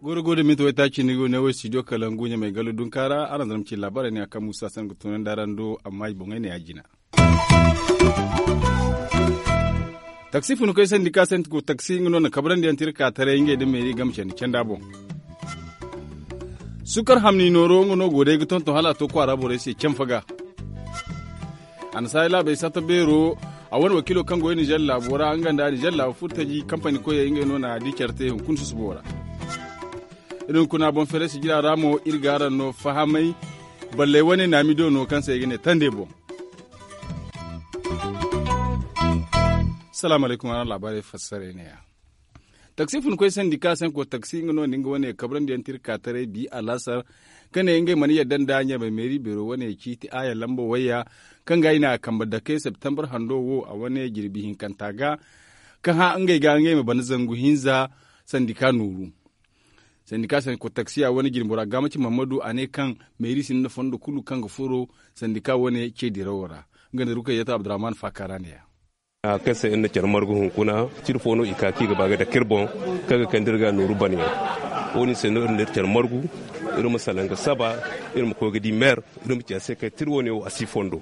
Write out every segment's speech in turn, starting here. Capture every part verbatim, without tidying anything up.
Gooro gooro da minti waytaaci ni go ne wo studio kalangu ɲamay gallo dunka ra araŋ zama ci laabaarey ne a kaŋ muusa sanda ga tunandi araŋ do amma i boŋey ne ya jina. Taksi funkoy sandika senti go taksi nga no na kabrandi yaŋ tira ka taray ngey nda meeri game candi canda boŋ. Sukar hamni nooro nga no go day ga tonton hala a to kwaara borey se canfa ga. Annasaari laabey satta beero a wane wakiilo kaŋ go nizer laabo ra nga nda nizer laabo furtaji kampani koyey ngey no na di care te hunkuna susubo ra. Iri hunkuna boŋ feere sijira ra mo iri ga araŋ no fahamay. Balley wane naamido no kaŋ se i ga ne tande boŋ. Salaamu alaykum araŋ laabaarey fassarey ne ya. Taksi funkoy sandika senko taksi nga no nda nga wane kabrandi yaŋ tira ka taray bi alaasar ka ne ngey mana yadda nda ɲamay meeri beero wane ciiti aya lamba wayya kaŋ ga i na a kambe dake septembar hando wo a wane jirbi hinkanta ga ka hã ngey ga ngey ma bana zangu hinza sandika nooru. Sandika senko taksiya wane jirbi bora gaamaci mahammadu a ne kaŋ meeri sinda fondo kulu kaŋ ga furo sandika wane ce dirawo ra. Nga nda rukayyata abdurrahman faakara ne ya. Kaŋ se iri na care margu hunkuna tira fo no i ka kaŋ i ga ba ga dake iri boŋ kaŋ ga kande iri ga nooru bana yaŋ. Wo- din se no iri na iri care margu iri ma salaŋ ga saba iri ma koy ga di meer iri ma ci a se kaŋ tira wo- ne wo a si fondo.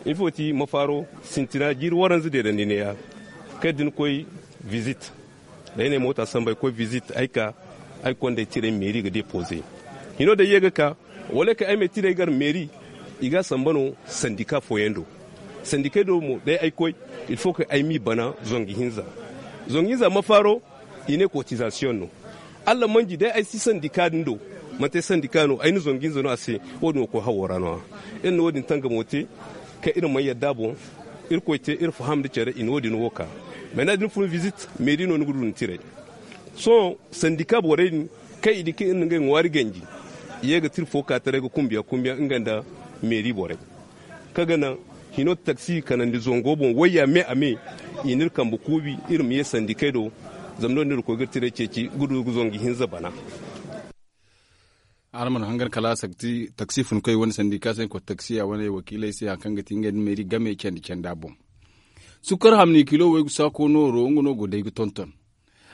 Ifo ti mafaaro sintina jiiri waranza deedandi ne- ya kaŋ da ni koy vizit da ay na ay moota sambu ay koy vizit ay ka ay kondey tirey meeri ga depoze. Hino day ye ga ka wala kaŋ ay ma ay tirey gar meeri i ga a samba no sandika fooyaŋ do. Sandikey do mo day ay koy il faut que ay m'i bana zangu hinza. Zangu hinza mafaaro i ne kotizasiyoŋ no. Alla manji day ay si sandika din do manti ay sandika no ay na zangu hinza no a se. Wo- din wo koy hawo ra no- ya iri na wo- din tangamo te kaŋ iri mana yadda boŋ. Irkoy te iri faham nda care i na wo- din wo ka. Mana da ni fun vizit meeri no ni ga du ni tirey. Sohõ sandika borey din kaŋ i di kaŋ iri na ngey ŋwaari ganji i ye ga tira fo ka taray ga kumbiya kumbiya nga nda meeri borey kaŋ ga naŋ hino taksi kanandi zango boŋ wayya me a me. I n'iri kambe kuubi iri ma ye sandikey do zama no- din iri koy ga iri tirey ceeci ga du ga zangu hinza bana. Araŋ mana hangan kala taksi funkoy wane sandika se kota taksiya wane wakiiley se hari kaŋ ga ti ngey nda meeri game candi canda boŋ. Sukar hamni kilo waygu saako nooro nga no go day ga tonton.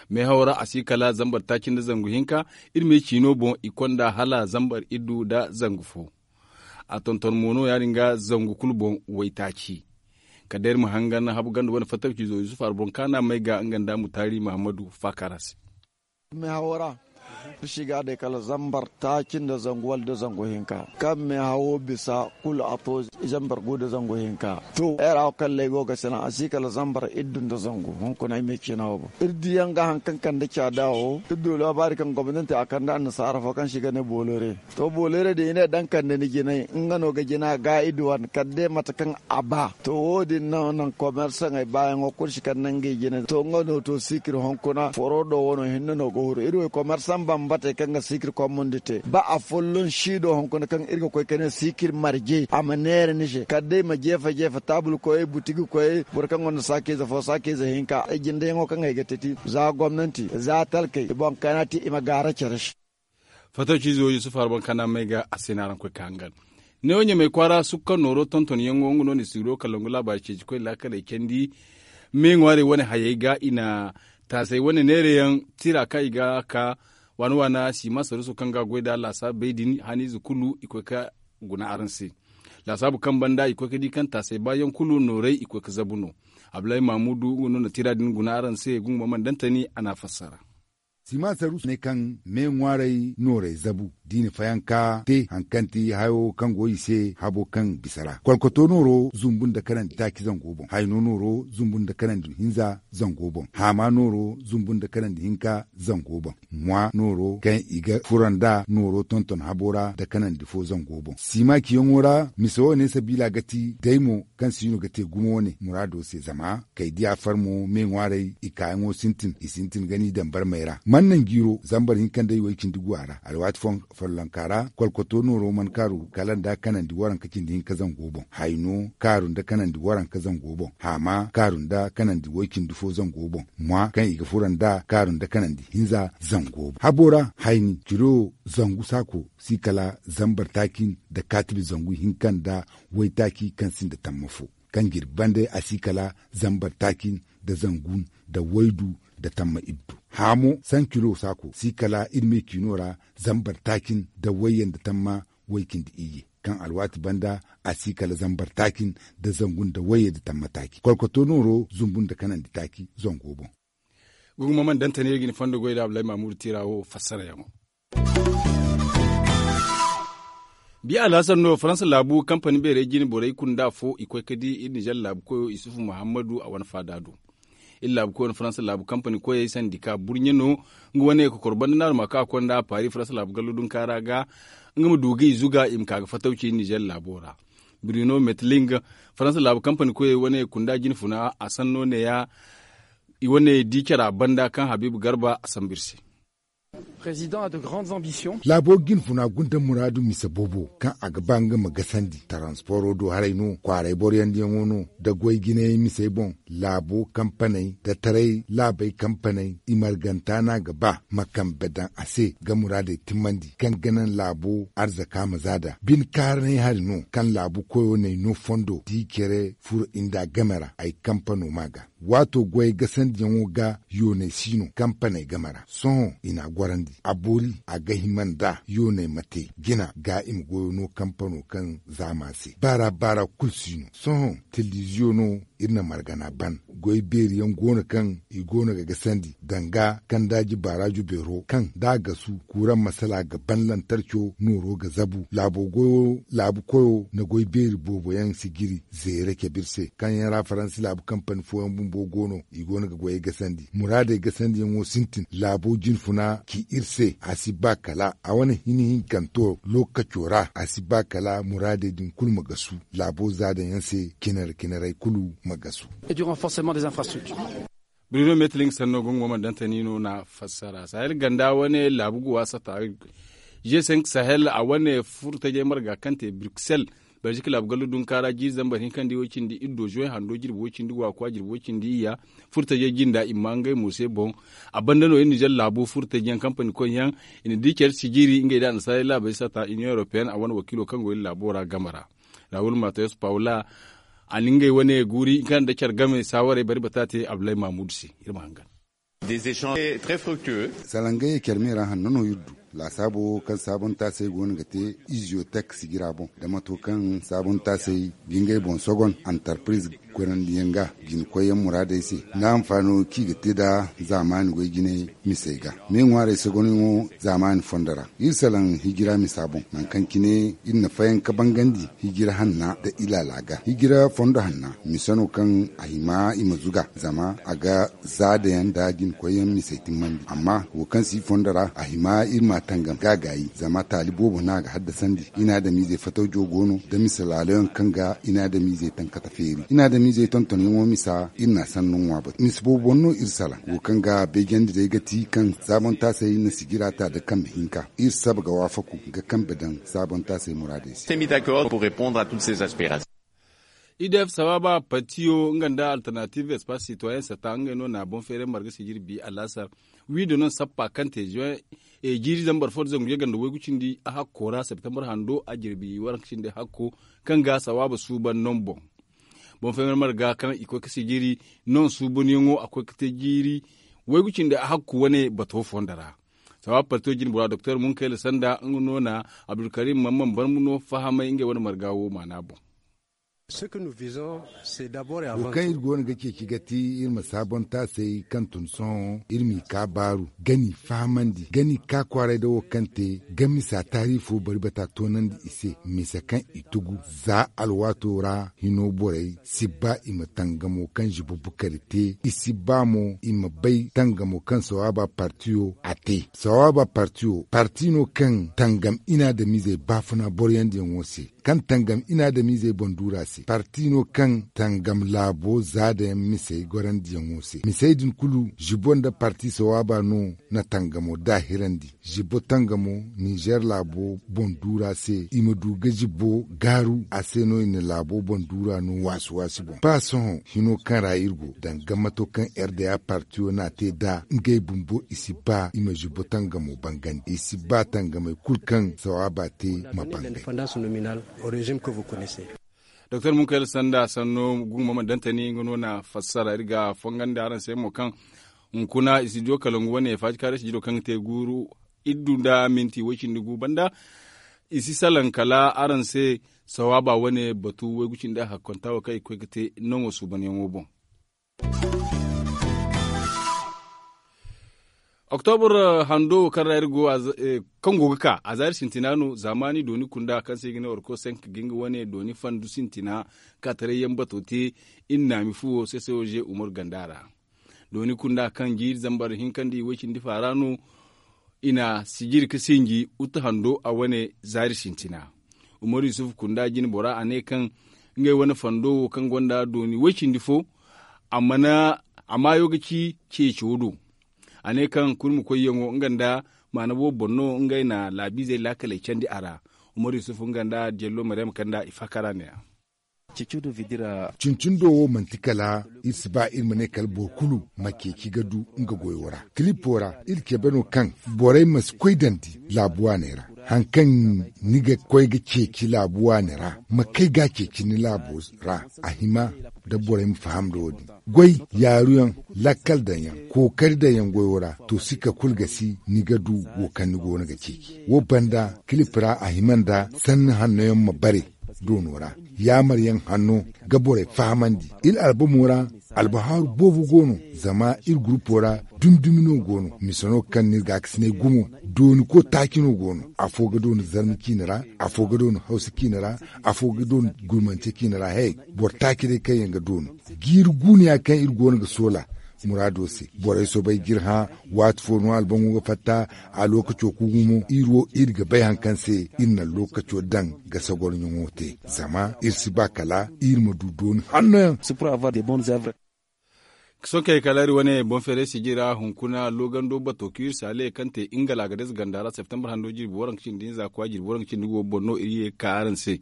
Meehaw ra a si kala zambar taaci nda zangu hinka. Iri me ciino boŋ i konda hala zambar iddu nda zangu fo. A tonton mo no ya- din ga zangu kulu boŋ waytaaci. Kala day iri ma hangan habu ganda wane fattaw ciizo yusuf arboŋ kaana may ga nga nda mutaari mahammadu faakara se. Meehawo ra iri si ga a day kala zambar taaci nda zangu wala da zangu hinka. Kaŋ meehawo bisa kulu a to zambar gu nda zangu hinka. To ay ra wo kaŋ lay go ga sina a si kala zambar iddu nda zangu hunkuna ay me ciina wo boŋ iri diyaŋ ga hari kaŋ kande caada wo iri du laabaari kaŋ gomnanti a kande annasaara fo kaŋ se i ga ne boolore. To boolore din i ne daŋ kande ni jinay nga no ga jina ga i duwan kala day mate kaŋ a ba to wo- din no naŋ komersaŋey baayaŋo kulu si kande ngey jina to nga no to siikir hunkuna foro do wano hinne no ga huru iri wo komersaŋ bambatey kaŋ ga siikir kommundi te ba afolloŋ si do hunkuna kaŋ iri ga koy ka ne siikir marje a ma neera ni se kala day ma jeefa jeefa taabul koyey butigi koyey boro kaŋ gonda saakiize fo saakiize hinka ay jindayaŋo kaŋ ay ga teti za gomnanti za talkey i boŋ kana ti i ma gaara care se. Fattaw ciizo yusuf harban kana may ga a se no araŋ koy ka hangan. Neewo ɲamay kwaara sukka nooro tontonyaŋo nga no ni siro kalangu laabaari ceeci koy laakaley candi. Me ŋwaarey wane hayey ga i na taasey wane neerayaŋ tira kaŋ i ga ka waana waana siima saruuso kaŋ ga a goy nd'a laasaabu bay din haniize kulu i koy ka guna araŋ se. Laasaabu kaŋ banda i koy ka di kaŋ taasey baayaŋ kulu noorey i koy ka zabu no. Abdullahi mahamudu nga no na tira din guna araŋ se gungo ma mana dantani a n'a fassara. Siima saruuso ne kaŋ me ŋwaaray noorey zabu da i na fayanka te hari kaŋ ti hayo kaŋ go i se habo kaŋ bisa ra kolkoto nooro zumbu nda kanandi taaci zango boŋ hayno nooro zumbu nda kanandi hinza zango boŋ haama nooro zumbu nda kanandi hinka zango boŋ mwa nooro kaŋ i ga furo nd'a nooro tonton habo ra nda kanandi fo zango boŋ siima ciyaŋo ra mise wo ne sabiila ga ti day mo kaŋ siino ga te gumo wane muraado se zama kay diya farmo me ŋwaaray i kaayaŋo sintin i sintin ga ni daŋ barmey ra man naŋ jiiro zambar hinka nda i way cindi guwa ra alwaati fooyaŋ Follonka ra kolkoto nooro mana kaaru kala nda kanandi waranka cindi hinka zango boŋ. Hayno kaaru nda kanandi waranka zango boŋ. Haama kaaru nda kanandi way-cindi fo zango boŋ. Mwa kaŋ i ga furo nda kaaru nda kanandi hinza zango boŋ. Habo ra hayni ciro zangu saako si kala zambar taaci nda kaatibi zangu hinka nda waytaaci kaŋ sinda tamma fo. Kaŋ jirbi bande a si kala zambar taaci nda zangu nda waydu nda tamma iddu. Haamo sankilo saako si kala iri me ciino ra zambar taaci nda wayye nda tamma way-cindi iyye. Kaŋ alwaati banda a si kala zambar taaci nda zangu nda wayye nda tamma taaci kolkoto nooro zumbu nda kanandi taaci zango boŋ. Gugumo mana dantane ga ni fondo goy da abdulahi mamudu tira wo fassarayaŋo. Biya alhassan no faransa laabu kampani beerey jine borey kulu nda afo i koy ga di iri nizer laabu koyo isufu muhammadu a wane faada do. Iri laabu koyo no faransa laabu kampani koyey sandi ka burɲe no. Nga wane kokoro banda naaruma ka konda paari faransa laabu gallo dunka ra ga nga ma du ga i zuga i ma ka ga fatawci iri nizer laabo ra. Bruno metling faransa laabu kampani koyey wane kunda jine funa a sanno neeya. I wane di cara banda kaŋ habiibu garba a sambu iri se. Laabo jinfuna gunda muraadu mise boobo kaŋ a ga ba nga ma gasandi taransporo do haray no kwaaray boroyandiyaŋo no da goy jinayey misey boŋ. Laabo kampaney da taray laabey kampaney i marganta no a ga ba ma kambe daŋ a se ga muraadey timmandi kaŋ ga naŋ laabo arzaka ma za da bine kaaranay hari no kaŋ laabu koyo n'ay no fondo da i care furo i nda game ra ay kampano ma ga. Waato goyey gasandiyaŋo ga yooney si no kampaney game ra sohõ i n'a gorandi a boori a ga hima nda yooney ma te jina ga i ma goyo no kampano kaŋ zaama se baara baara kulu si no sohõ. Telebiziyo no iri na margana ban goy beeri yaŋ go no kaŋ i go no ga gasandi danga kandaaji baaraajo beero kaŋ da a gasu kuuraŋ masala ga ban lantarco nooro ga zabu laabu koyo na goy beeri boobo yaŋ si jiri zeere cabe iri se kaŋ yaŋ ra faransi laabu kampani fooyaŋ bumbo go no i go no ga goyey gasandi muraadey gasandiyaŋo sintin laabo jinfuna ci iri se a si ba kala a wane hini hinkanto lookaco ra a si ba kala muraadey din kulu ma gasu laabo zaadayaŋ se cinare cinarey kulu ma gasu. Bruno metlink sanno gungo ma dantani no na fassara sahel ganda wane laabu guwa sata g cinq sahel a wane furtajey marga kaŋ te bruxelles. Belgique laabu gallu dunkaara jiiri zambar hinkandi way cindi iddo juin hando jirbi way cindi guwa kwa jirbi way cindi iyya furtajey jinda i ma ngey mo se boŋ. A banda no iri nizer laabu furtajey yaŋ kampani koy yaŋ i na di care sijiri ngey da annasaarey laabey sata union européenne a wane wakiilo kaŋ go iri laabo ra game ra. Raul mateus paula a na ngey wane guuri kaŋ nda care game saawarey bari bata te abdulahi mahmud se. Iri ma hangan. Salangayey care me ra hanno no iri du laasaabo kaŋ saabontaasey go no ga te iziotek sijira boŋ da mato kaŋ saabontaasey ga ngey boŋ sogon antarpiriz koyrandiyaŋ ga jina koyyaŋ muraadey se nda hanfaano kaŋ i ga te nda zaamaani goy jinay misey ga me ŋwaarey sogonyaŋo zaamaani fondo ra. Iri salaŋ hijira misa boŋ nangu kaŋ cine iri na fayanka bangandi hijira hanna nda ilaala ga hijira fondo hanna misa no kaŋ a hima i ma zuga zama a ga zaadayaŋ nda jinkoyyaŋ misey timmandi amma wo kaŋ si fondo ra a hima iri ma tangam ga gaayi zama taali boobo no a ga haddasandi i na adamiizey fatawjo go no da misa laaloyaŋ kaŋ ga i na adamiizey tankata feeri i na adamiizey tontonyaŋo misa iri na a sanno ŋwa batu misa boobo boŋ no iri salaŋ wo kaŋ ga beejandi day ga ti kaŋ saabontaasey na sijira ta nda kambe hinka iri saba ga waafaku ga kambe daŋ saabontaasey muraadey se. Idf sawaaba partiyo nga nda alternative espace citoyen sata ngey no na boŋ feeray marga sijiri bi alaasar wiido no sappa kaŋ te juin jiiri zambar fo da zangu yaganda waygu cindi a hakko ra septembar hando a jirbi waranka cindi hakko kaŋ ga sawaaba suuban no boŋ. Boŋ feeray marga kaŋ i koy ga sijiri no suubanyaŋo a koy ga te jiiri waygu cindi a hakko wane bato fondo ra. Sawaaba partiyo jine bora doktor munkayla sanda nga no na abdulkarim mamman barmu no fahamay ngey wane marga wo maana boŋ. Wo kaŋ iri go no ga ceeci ga ti iri ma saabontaasey kaŋ tun sohõ iri m'i ka baaru ga n'i fahamandi ga n'i ka kwaaray nda wo kaŋ te ga misa taari fo bari bata toonandi i se misa kaŋ i tugu za alwaato ra hino borey si ba i ma tangamo kaŋ zibo bukari te i si ba mo i ma bay tangamo kaŋ sawaaba partiyo a te sawaaba partiyo parti no kaŋ tangam inaadamiizey baafuna boroyandiyaŋo se kaŋ tangam inaadamiizey boŋ duura se. Parti no kaŋ tangam laabo za da yaŋ misey gorandiyaŋo se. Misey din kulu zibo nda parti sawaaba no na tangamo daahirandi. Zibo tangamo ninzeer laabo boŋ duura se i ma du ga zibo gaaru a se no i na laabo boŋ duura no waasi waasi boŋ ba sohõ hino kaŋ ra iri go danga mato kaŋ r d a partiyo n'a te nd'a ngey bumbo i si ba i ma zibo tangamo bangandi i si ba tangamey kulu kaŋ sawaaba te ma bangandi. Doktor munkayla sanda sanno gunguma ma dantani nga no na fassara iri ga fongandi araŋ se mo kaŋ hunkuna i si diyo kalangu wane faajikaaray si jiro kaŋ ga te guuru iddu nda minti way cindi gu banda. I si salaŋ kala araŋ se sawaaba wane batu waygu cindi a hakkonta wo kaŋ i ga koy ga te naŋo suubanyaŋo boŋ. Oktobur hando wo kaŋ ra iri go kaŋ go ga ka a zaari sintina no zaamaani dooni kunda kaŋ se i ga ne orko senk ga nga wane dooni fandu sintina kaataray yaŋ bato te. Iri naami fuwo sesewoze umaru ganda ra dooni kunda kaŋ jiiri zambar hinkandi way cindi faara no. I na sijiri ga sinji utu hando a wane zaari sintina. Umaru yusufu kunda jine bora a ne kaŋ ngey wane fando wo kaŋ gonda dooni way cindi fo a mana a maayo ga ci ceeco do. A ne kaŋ kurmi koyyaŋo nga nda maana boobo boŋ no ngey na laabiizey laakaley candi a ra. Umaru yusufu nga nda jello maryama kaŋ nda i faakara ne-ya. Cincundo wo manti kala iri si ba iri ma ne kala boro kulu ma ceeci ga du nga goyo ra kilipo ra iri cabe no kaŋ borey ma si koy dandi laabu waaney ra. Hari kaŋ ni ga koy ga ceeci laabu waaney ra ma kay ga a ceeci ni laabo ra a hima da borey ma faham nda wo- din goy yaaruyaŋ lakkal daŋyaŋ kookari daŋyaŋ goyo ra to sikka kulu ga si ni ga du wo kaŋ ni go no ga ceeci wo banda kilip ra a hima nda sanni hanno yaŋ ma bare doono ra yaamar yaŋ hanno ga borey fahamandi iri albamo ra albahaaru boobo go no zama iri gurupo ra dumi dumi no go no mise no kaŋ no iri gaakasinay gumo dooni ko taaci no go no afo ga dooni zarma ciine ra afo ga dooni hawsa ciine ra afo ga dooni gulmance ciine ra hey boro taaci day kaŋ yaŋ ga dooni jiiri guuniya kaŋ iri go no ga soola muraado se borey soobay ga iri hã waati fo no albaŋo ga fatta a lookaco kuugu mo iri wo iri ga bay hari kaŋ se iri na lookaco daŋ ga sagorɲaŋo te zama iri si ba kala iri ma du dooni hanno yaŋ. Sohõ kay kala iri wane boŋ feeray sijira hunkuna loogando bato kiir saale kaŋ te ingala ga deza ganda ra septembar hando jirbi waranka cindi hinza kwa jirbi waranka cindi go boŋ no iri ye ga ka araŋ se.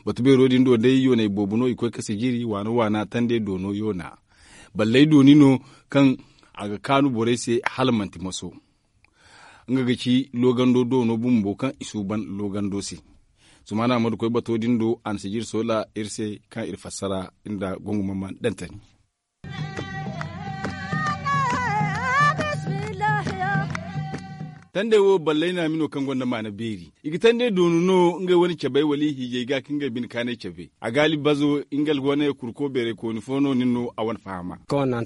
Batu beero din do day yoonay boobo no i koy ga sijiri waana waana tande doono yoona balley dooni no kaŋ a ga kaanu borey se hala manti maso. Nga ga ci loogando doono bumbo kaŋ i suuban loogando se. Sumaana amadu koy bato din do a na sijiri soola iri se kaŋ iri fassara nda gongu mamman dantani. Tandey wo ballay naami no kaŋ gonda maana beeri i ga tandey doonu no ngey wane cabey wala i hiijay ga ka ngey bine kaanay cabe a gaali bazo nga wane kurko beeray kooni fo no nin no a wane fahama. Kala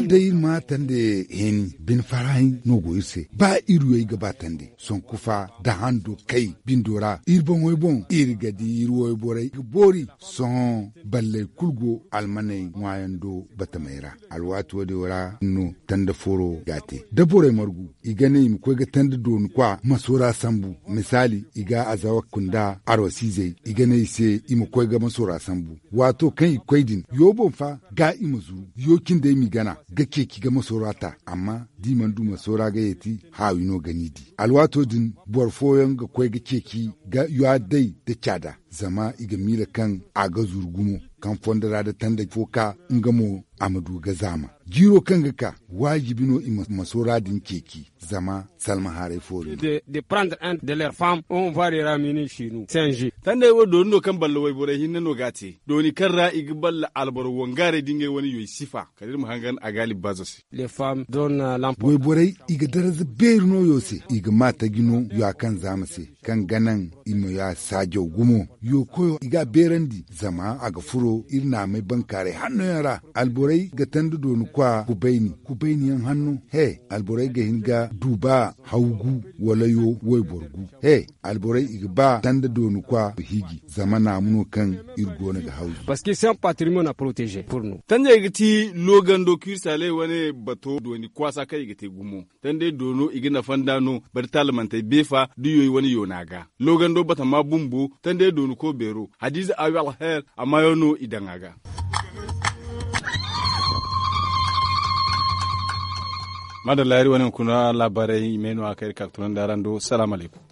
day iri ma tandey heeni bine farahi no go iri se ba iri wey ga ba tandey sonku fa da hando kay bindo ra iri boŋey boŋ iri ga di iri wayborey ga boori. Sohõ balley kulu go almaney ŋwaayaŋ do batamey ra alwaati wo- din ra no tanda foro ga a te da borey margu i ga ne i ma koy ga tanda dooni kwa maso ra sambu misaali i ga azawa kunda arwasiizey i ga ne i se i ma koy ga maso ra sambu. Waato kaŋ i ga koy din yo boŋ fa ga i ma zuru yo cindey m'i gana ga ceeci ga maso ra ta amma da i mana du maso ra ga yeeti haawi no ga n'i di alwaato din boro fooyaŋ ga koy ga ceeci ga yo a day nda caada zama i ga miila kaŋ a ga zuru gumo kaŋ fondo ra nda tanda fo ka nga mo a ma du ga zaama jiiro kaŋ ga ka waajibi no i ma maso ra din ceeci zama salma haaray fo no. Tandey wo dooni no kaŋ balla wayborey hinne no ga a te dooni kaŋ ra i ga balla alboro wangaaray da ngey wane yoy sifa kala iri ma hangan a gaali bazo se. Wayborey i ga daraza beeri no yo se i ga ma taji no yo a kaŋ zaama se kaŋ ga naŋ i ma yo a saajaw gumo yo koyo i ga a beerandi zama a ga furo. Iri naamay bankaaray hanno yaŋ ra, alborey ga tanda dooni kwa kubayni kubayni yaŋ hanno. He, alborey ga hin ga duuba hawgu wala yo wayboro gu. He, alborey i ga ba tanda dooni kwa hiiji zama naamu no kaŋ iri go no ga hawzu. Parceque se en patrimoine a proteger pur no. Tanjey ga ti loogando kirsaaley wane bato dooni kwaasa kaŋ i ga te gumo. Tandey doono i ga nafa nd'a no. Bari taalamantey beefa da yoy wane yoona ga loogando batama bumbo. Tandey dooni ko beero hadiize awi alher a maayo no i daŋ a ga. Maadalla iri wane hunkuna laabaarey i may no a kaŋ iri ka ga tunandi araŋ do salaamu alaykum.